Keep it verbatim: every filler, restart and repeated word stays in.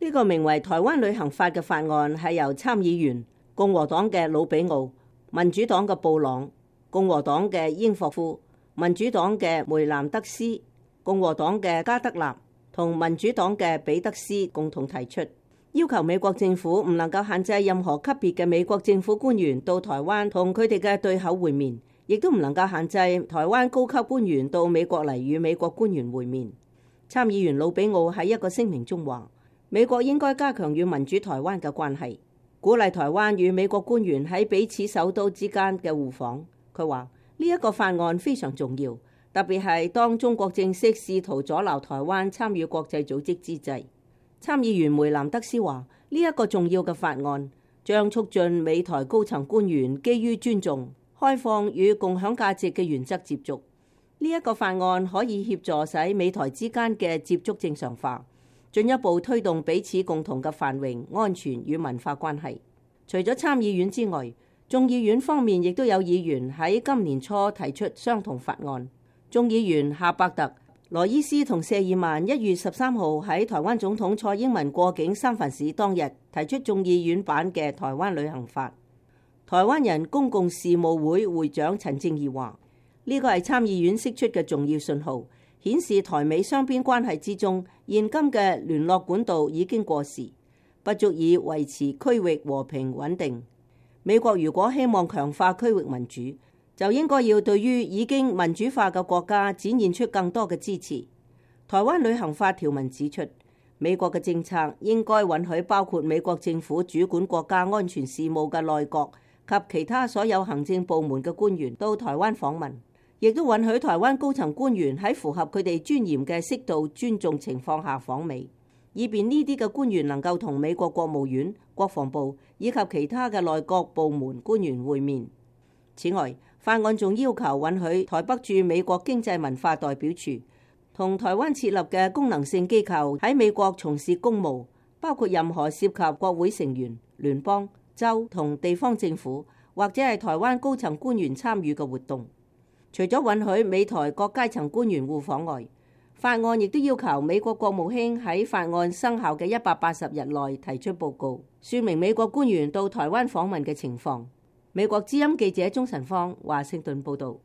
呢個名為《台灣旅行法》嘅法案係由參議員共和黨嘅魯比奧、民主黨嘅布朗、共和黨嘅英霍夫、民主黨嘅梅南德斯、共和黨嘅加德納同民主黨嘅彼得斯共同提出，要求美國政府唔能夠限制任何級別嘅美國政府官員到台灣同佢哋嘅對口會面，亦都唔能夠限制台灣高級官員到美國嚟與美國官員會面。參議員魯比奧喺一個聲明中話，美國應該加強與民主台灣嘅關係，鼓勵台灣與美國官員喺彼此首都之間嘅互訪。佢話呢一個法案非常重要，特別係當中國正式試圖阻撓台灣參與國際組織之際。參議員梅南德斯話呢一個重要嘅法案將促進美台高層官員基於尊重、開放與共享價值嘅原則接觸。呢一個法案可以協助使美台之間嘅接觸正常化，進一步推動彼此共同嘅繁榮、安全與文化關係。除咗參議院之外，眾議院方面亦都有議員喺今年初提出相同法案。眾議員夏伯特、羅伊斯同謝爾曼一月十三號喺台灣總統蔡英文過境三藩市當日提出眾議院版嘅台灣旅行法。台灣人公共事務會會長陳正義話：呢個係參議院釋出嘅重要信號，顯示台美雙邊關係之中現今嘅聯絡管道已經過時，不足以維持區域和平穩定。美國如果希望強化區域民主，就應該要對於已經民主化嘅國家展現出更多嘅支持。台灣旅行法條文指出，美國嘅政策應該允許包括美國政府主管國家安全事務嘅內閣及其他所有行政部門嘅官員到台灣訪問，亦都允許台灣高層官員喺符合佢哋尊嚴嘅適度尊重情況下訪美，以便呢啲嘅官員能夠同美國國務院、國防部以及其他嘅內閣部門官員會面。此外，法案仲要求允許台北駐美國經濟文化代表處同台灣設立嘅功能性機構喺美國從事公務，包括任何涉及國會成員、聯邦、州同地方政府或者係台灣高層官員參與嘅活動。除咗允許美台各階層官員互訪外，法案亦都要求美國國務卿喺法案生效嘅一百八十日內提出報告，說明美國官員到台灣訪問嘅情況。美國之音記者鍾晨芳華盛頓報道。